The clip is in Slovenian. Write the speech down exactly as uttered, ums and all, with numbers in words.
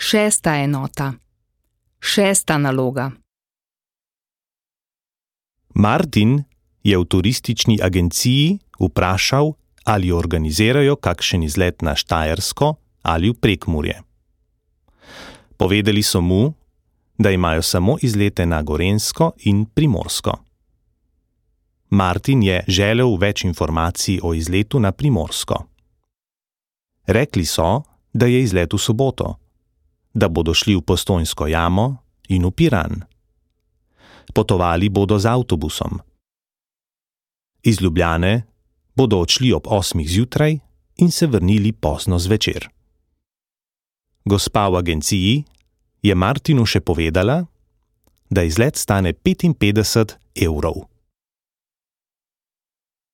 Šesta enota. Šesta naloga. Martin je v turistični agenciji vprašal, ali organizirajo kakšen izlet na Štajersko ali v Prekmurje. Povedali so mu, da imajo samo izlete na Gorenjsko in Primorsko. Martin je želel več informacij o izletu na Primorsko. Rekli so, da je izlet v soboto, da bodo šli v Postojnsko jamo in v Piran. Potovali bodo z avtobusom. Iz Ljubljane bodo odšli ob osmih zjutraj in se vrnili pozno zvečer. Gospa v agenciji je Martinu še povedala, da izlet stane petinpetdeset evrov.